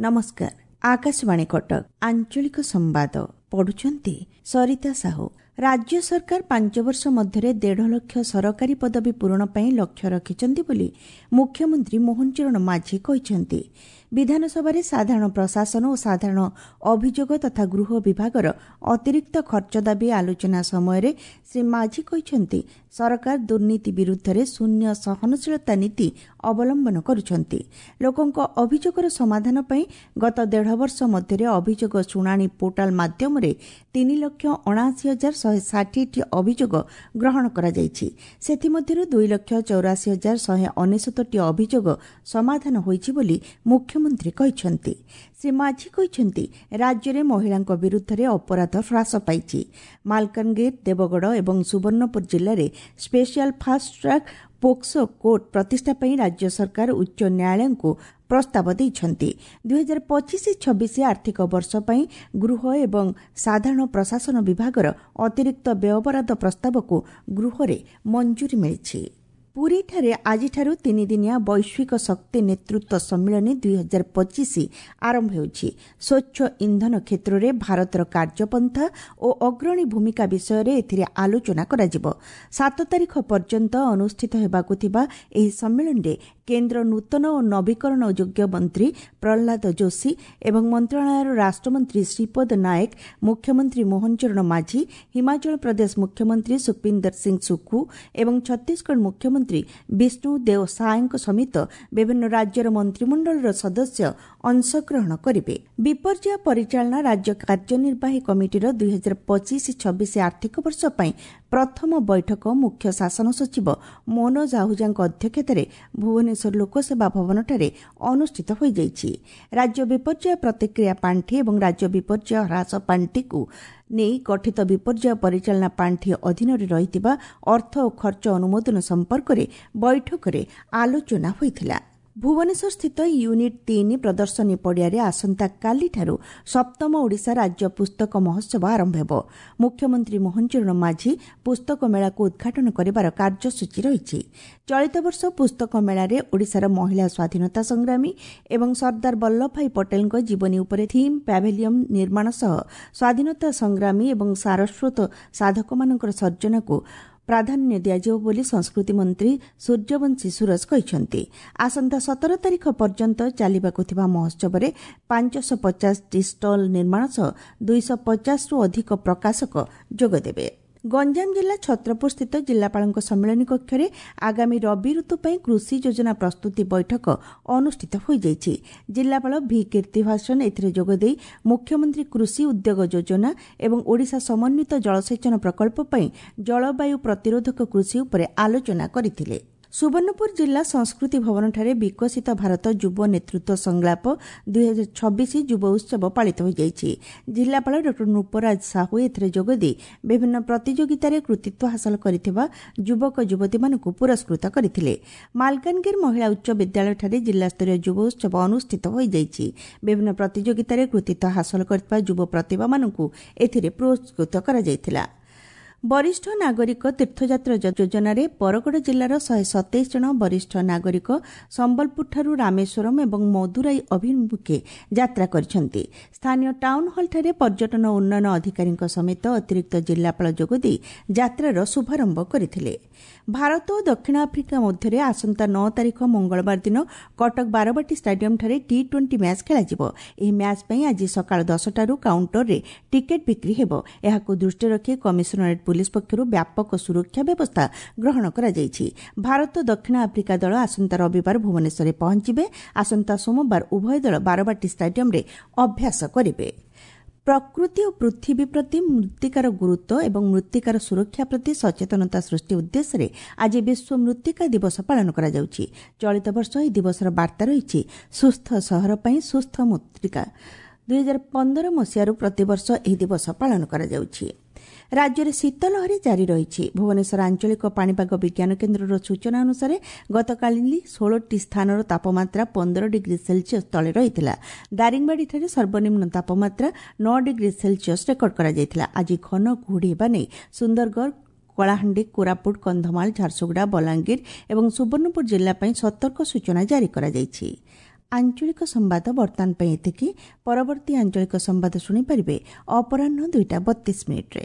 ନମସ୍କାର, ଆକାଶବାଣୀ କଟକ, ଆଞ୍ଚଳିକ ସମ୍ବାଦ ପଢୁଛନ୍ତି ସରିତା ସାହୁ। ରାଜ୍ୟ ସରକାର 5 ବର୍ଷ ମଧ୍ୟରେ 1.5 ଲକ୍ଷ ସରକାରୀ ପଦବୀ ପୂରଣ ପାଇଁ ଲକ୍ଷ୍ୟ ରଖିଛନ୍ତି ବୋଲି ମୁଖ୍ୟମନ୍ତ୍ରୀ ମୋହନ ଚରଣ ମାଝୀ କହିଛନ୍ତି। ବିଧାନସଭାରେ ସାଧାରଣ ପ୍ରଶାସନ ଓ ସାଧାରଣ ଅଭିଯୋଗ ତଥା ଗୃହ ବିଭାଗର ଅତିରିକ୍ତ ଖର୍ଚ୍ଚ ଦାବି ଆଲୋଚନା ସମୟରେ ଶ୍ରୀ ମାଝୀ କହିଛନ୍ତି, ସରକାର ଦୁର୍ନୀତି ବିରୁଦ୍ଧରେ ଶୂନ୍ୟ ସହନଶୀଳତା ନୀତି ଅବଲମ୍ବନ କରୁଛନ୍ତି। ଲୋକଙ୍କ ଅଭିଯୋଗର ସମାଧାନ ପାଇଁ ଗତ ଦେଢ଼ ବର୍ଷ ମଧ୍ୟରେ ଅଭିଯୋଗ ଶୁଣାଣି ପୋର୍ଟାଲ ମାଧ୍ୟମରେ 3,79,160ଟି ଅଭିଯୋଗ ଗ୍ରହଣ କରାଯାଇଛି। ସେଥିମଧ୍ୟରୁ 2,84,199ଟି ଅଭିଯୋଗ ସମାଧାନ ହୋଇଛି ବୋଲି ମୁଖ୍ୟମନ୍ତ୍ରୀ କହିଛନ୍ତି। ଶ୍ରୀ ମାଝୀ କହିଛନ୍ତି, ରାଜ୍ୟରେ ମହିଳାଙ୍କ ବିରୁଦ୍ଧରେ ଅପରାଧ ହ୍ରାସ ପାଇଛି। ମାଲକାନଗିରି, ଦେବଗଡ଼ ଏବଂ ସୁବର୍ଣ୍ଣପୁର ଜିଲ୍ଲାରେ special fast track POCSO court ପ୍ରତିଷ୍ଠା ପାଇଁ ରାଜ୍ୟ ସରକାର ଉଚ୍ଚ ନ୍ୟାୟାଳୟଙ୍କୁ ପ୍ରସ୍ତାବ ଦେଇଛନ୍ତି। 2025-26 ଆର୍ଥିକ ବର୍ଷ ପାଇଁ ଗୃହ ଏବଂ ସାଧାରଣ ପ୍ରଶାସନ ବିଭାଗର ଅତିରିକ୍ତ ବ୍ୟୟବରାଦ ପ୍ରସ୍ତାବକୁ ଗୃହରେ ମଞ୍ଜୁରୀ ମିଳିଛି। ପୁରୀଠାରେ ଆଜିଠାରୁ ତିନିଦିନିଆ ବୈଶ୍ୱିକ ଶକ୍ତି ନେତୃତ୍ୱ ସମ୍ମିଳନୀ 2025 ଆରମ୍ଭ ହେଉଛି। ସ୍ୱଚ୍ଛ ଇନ୍ଧନ କ୍ଷେତ୍ରରେ ଭାରତର କାର୍ଯ୍ୟପନ୍ଥା ଓ ଅଗ୍ରଣୀ ଭୂମିକା ବିଷୟରେ ଏଥିରେ ଆଲୋଚନା କରାଯିବ। 7 ତାରିଖ ପର୍ଯ୍ୟନ୍ତ ଅନୁଷ୍ଠିତ ହେବାକୁ ଥିବା ଏହି ସମ୍ମିଳନୀରେ କେନ୍ଦ୍ର ନୂତନ ଓ ନବୀକରଣ ଯୋଗ୍ୟ ମନ୍ତ୍ରୀ ପ୍ରହ୍ଲାଦ ଯୋଶୀ ଏବଂ ମନ୍ତ୍ରଣାଳୟର ରାଷ୍ଟ୍ରମନ୍ତ୍ରୀ ଶ୍ରୀପଦ ନାୟକ, ମୁଖ୍ୟମନ୍ତ୍ରୀ ମୋହନ ଚରଣ ମାଝୀ, ହିମାଚଳ ପ୍ରଦେଶ ମୁଖ୍ୟମନ୍ତ୍ରୀ ସୁଖବିନ୍ଦର ସିଂ ସୁଖୁ ଏବଂ ଛତିଶଗଡ଼ ମୁଖ୍ୟମନ୍ତ୍ରୀ ବିଷ୍ଣୁ ଦେଓ ସାଏଙ୍କ ସମେତ ବିଭିନ୍ନ ରାଜ୍ୟର ମନ୍ତ୍ରିମଣ୍ଡଳର ସଦସ୍ୟ ଅଂଶଗ୍ରହଣ କରିବେ। ବିପର୍ଯ୍ୟୟ ପରିଚାଳନା ରାଜ୍ୟ କାର୍ଯ୍ୟନିର୍ବାହୀ କମିଟିର 2025-26 ଆର୍ଥିକ ବର୍ଷ ପାଇଁ ପ୍ରଥମ ବୈଠକ ମୁଖ୍ୟ ଶାସନ ସଚିବ ମନୋଜ ଆହୁଜାଙ୍କ ଅଧ୍ୟକ୍ଷତାରେ ଭୁବନେଶ୍ୱର ଲୋକସେବା ଭବନଠାରେ ଅନୁଷ୍ଠିତ ହୋଇଯାଇଛି। ରାଜ୍ୟ ବିପର୍ଯ୍ୟୟ ପ୍ରତିକ୍ରିୟା ପାଣ୍ଠି ଏବଂ ରାଜ୍ୟ ବିପର୍ଯ୍ୟୟ ହ୍ରାସ ପାଣ୍ଠିକୁ ନେଇ ଗଠିତ ବିପର୍ଯ୍ୟୟ ପରିଚାଳନା ପାଣ୍ଠି ଅଧୀନରେ ରହିଥିବା ଅର୍ଥ ଓ ଖର୍ଚ୍ଚ ଅନୁମୋଦନ ସମ୍ପର୍କରେ ବୈଠକରେ ଆଲୋଚନା ହୋଇଥିଲା। ଭୁବନେଶ୍ୱରସ୍ଥିତ ୟୁନିଟ୍ 3 ପ୍ରଦର୍ଶନୀ ପଡ଼ିଆରେ ଆସନ୍ତାକାଲିଠାରୁ ସପ୍ତମ ଓଡ଼ିଶା ରାଜ୍ୟ ପୁସ୍ତକ ମହୋତ୍ସବ ଆରମ୍ଭ ହେବ। ମୁଖ୍ୟମନ୍ତ୍ରୀ ମୋହନ ଚରଣ ମାଝୀ ପୁସ୍ତକ ମେଳାକୁ ଉଦ୍ଘାଟନ କରିବାର କାର୍ଯ୍ୟସୂଚୀ ରହିଛି। ଚଳିତ ବର୍ଷ ପୁସ୍ତକ ମେଳାରେ ଓଡ଼ିଶାର ମହିଳା ସ୍ୱାଧୀନତା ସଂଗ୍ରାମୀ ଏବଂ ସର୍ଦ୍ଦାର ବଲ୍ଲଭଭାଇ ପଟେଲଙ୍କ ଜୀବନୀ ଉପରେ ଥିମ୍ ପ୍ୟାଭିଲିୟନ ନିର୍ମାଣ ସହ ସ୍ୱାଧୀନତା ସଂଗ୍ରାମୀ ଏବଂ ସାରସ୍ୱତ ସାଧକମାନଙ୍କର ସର୍ଜନାକୁ ପ୍ରାଧାନ୍ୟ ଦିଆଯିବ ବୋଲି ସଂସ୍କୃତି ମନ୍ତ୍ରୀ ସୂର୍ଯ୍ୟବଂଶୀ ସୁରଜ କହିଛନ୍ତି। ଆସନ୍ତା 17 ତାରିଖ ପର୍ଯ୍ୟନ୍ତ ଚାଲିବାକୁ ଥିବା ମହୋତ୍ସବରେ 550ଟି ଷ୍ଟଲ୍ ନିର୍ମାଣ ସହ 250ରୁ ଅଧିକ ପ୍ରକାଶକ ଯୋଗଦେବେ। ଗଞ୍ଜାମ ଜିଲ୍ଲା ଛତ୍ରପୁରସ୍ଥିତ ଜିଲ୍ଲାପାଳଙ୍କ ସମ୍ମିଳନୀ କକ୍ଷରେ ଆଗାମୀ ରବି ଋତୁ ପାଇଁ କୃଷି ଯୋଜନା ପ୍ରସ୍ତୁତି ବୈଠକ ଅନୁଷ୍ଠିତ ହୋଇଯାଇଛି। ଜିଲ୍ଲାପାଳ ଭି କୀର୍ତ୍ତିଭାସନ ଏଥିରେ ଯୋଗଦେଇ ମୁଖ୍ୟମନ୍ତ୍ରୀ କୃଷି ଉଦ୍ୟୋଗ ଯୋଜନା ଏବଂ ଓଡ଼ିଶା ସମନ୍ୱିତ ଜଳସେଚନ ପ୍ରକଳ୍ପ ପାଇଁ ଜଳବାୟୁ ପ୍ରତିରୋଧକ କୃଷି ଉପରେ ଆଲୋଚନା କରିଥିଲେ। ସୁବର୍ଣ୍ଣପୁର ଜିଲ୍ଲା ସଂସ୍କୃତି ଭବନଠାରେ ବିକଶିତ ଭାରତ ଯୁବ ନେତୃତ୍ୱ ସଂଳାପ 2026 ଯୁବ ଉତ୍ସବ ପାଳିତ ହୋଇଯାଇଛି। ଜିଲ୍ଲାପାଳ ଡ ନୃପରାଜ ସାହୁ ଏଥିରେ ଯୋଗଦେଇ ବିଭିନ୍ନ ପ୍ରତିଯୋଗିତାରେ କୃତିତ୍ୱ ହାସଲ କରିଥିବା ଯୁବକ ଯୁବତୀମାନଙ୍କୁ ପୁରସ୍କୃତ କରିଥିଲେ। ମାଲକାନଗିରି ମହିଳା ଉଚ୍ଚ ବିଦ୍ୟାଳୟଠାରେ ଜିଲ୍ଲାସ୍ତରୀୟ ଯୁବ ଉତ୍ସବ ଅନୁଷ୍ଠିତ ହୋଇଯାଇଛି। ବିଭିନ୍ନ ପ୍ରତିଯୋଗିତାରେ କୃତିତ୍ୱ ହାସଲ କରିଥିବା ଯୁବ ପ୍ରତିଭାମାନଙ୍କୁ ଏଥିରେ ପୁରସ୍କୃତ କରାଯାଇଥିଲା। ବରିଷ୍ଠ ନାଗରିକ ତୀର୍ଥଯାତ୍ରା ଯୋଜନାରେ ବରଗଡ଼ ଜିଲ୍ଲାର 127 ଜଣ ବରିଷ୍ଠ ନାଗରିକ ସମ୍ବଲପୁରଠାରୁ ରାମେଶ୍ୱରମ୍ ଏବଂ ମଦୁରାଇ ଅଭିମୁଖେ ଯାତ୍ରା କରିଛନ୍ତି। ସ୍ଥାନୀୟ ଟାଉନ୍ ହଲ୍ଠାରେ ପର୍ଯ୍ୟଟନ ଉନ୍ନୟନ ଅଧିକାରୀଙ୍କ ସମେତ ଅତିରିକ୍ତ ଜିଲ୍ଲାପାଳ ଯୋଗଦେଇ ଯାତ୍ରାର ଶୁଭାରମ୍ଭ କରିଥିଲେ। ଭାରତ ଓ ଦକ୍ଷିଣ ଆଫ୍ରିକା ମଧ୍ୟରେ ଆସନ୍ତା 9 ତାରିଖ ମଙ୍ଗଳବାର ଦିନ କଟକ ବାରବାଟୀ ଷ୍ଟାଡିୟମ୍ଠାରେ ଟି-20 ମ୍ୟାଚ୍ ଖେଳାଯିବ। ଏହି ମ୍ୟାଚ୍ ପାଇଁ ଆଜି ସକାଳ 10ଟାରୁ କାଉଣ୍ଟରରେ ଟିକେଟ୍ ବିକ୍ରି ହେବ। ଏହାକୁ ଦୃଷ୍ଟିରେ ରଖି କମିଶନରେଟ୍ ପୁଲିସ୍ ପକ୍ଷରୁ ବ୍ୟାପକ ସୁରକ୍ଷା ବ୍ୟବସ୍ଥା ଗ୍ରହଣ କରାଯାଇଛି। ଭାରତ ଦକ୍ଷିଣ ଆଫ୍ରିକା ଦଳ ଆସନ୍ତା ରବିବାର ଭୁବନେଶ୍ୱରରେ ପହଞ୍ଚିବେ। ଆସନ୍ତା ସୋମବାର ଉଭୟ ଦଳ ବାରବାଟୀ ଷ୍ଟାଡିୟମ୍ରେ ଅଭ୍ୟାସ କରିବେ। ପ୍ରକୃତି ଓ ପୃଥିବୀ ପ୍ରତି ମୃତ୍ତିକାର ଗୁରୁତ୍ୱ ଏବଂ ମୃତ୍ତିକାର ସୁରକ୍ଷା ପ୍ରତି ସଚେତନତା ସୃଷ୍ଟି ଉଦ୍ଦେଶ୍ୟରେ ଆଜି ବିଶ୍ୱ ମୃତ୍ତିକା ଦିବସ ପାଳନ କରାଯାଉଛି। ଚଳିତ ବର୍ଷ ଏହି ଦିବସର ବାର୍ତ୍ତା ରହିଛି ସୁସ୍ଥ ସହର ପାଇଁ ସୁସ୍ଥ ମୃତ୍ତିକା। 2015 ମସିହାରୁ ପ୍ରତିବର୍ଷ ଏହି ଦିବସ ପାଳନ କରାଯାଉଛି। ରାଜ୍ୟରେ ଶୀତ ଲହରୀ ଜାରି ରହିଛି। ଭୁବନେଶ୍ୱର ଆଞ୍ଚଳିକ ପାଣିପାଗ ବିଜ୍ଞାନ କେନ୍ଦ୍ରର ସୂଚନା ଅନୁସାରେ ଗତକାଲି 16ଟି ସ୍ଥାନର ତାପମାତ୍ରା 15 ଡିଗ୍ରୀ ସେଲସିୟସ୍ ତଳେ ରହିଥିଲା। ଦାରିଙ୍ଗବାଡ଼ିଠାରେ ସର୍ବନିମ୍ନ ତାପମାତ୍ରା 9 ଡିଗ୍ରୀ ସେଲସିୟସ୍ ରେକର୍ଡ କରାଯାଇଥିଲା। ଆଜି ଘନ କୁହୁଡ଼ି ହେବା ନେଇ ସୁନ୍ଦରଗଡ଼, କଳାହାଣ୍ଡି, କୋରାପୁଟ, କନ୍ଧମାଳ, ଝାରସୁଗୁଡ଼ା, ବଲାଙ୍ଗୀର ଏବଂ ସୁବର୍ଣ୍ଣପୁର ଜିଲ୍ଲା ପାଇଁ ସତର୍କ ସୂଚନା ଜାରି କରାଯାଇଛି। ଆଞ୍ଚଳିକ ସମ୍ବାଦ ବର୍ତ୍ତମାନ ପାଇଁ ଏତିକି। ପରବର୍ତ୍ତୀ ଆଞ୍ଚଳିକ ସମ୍ବାଦ ଶୁଣିପାରିବେ ଅପରାହ୍ନ 2ଟା 32 ମିନିଟ୍ରେ।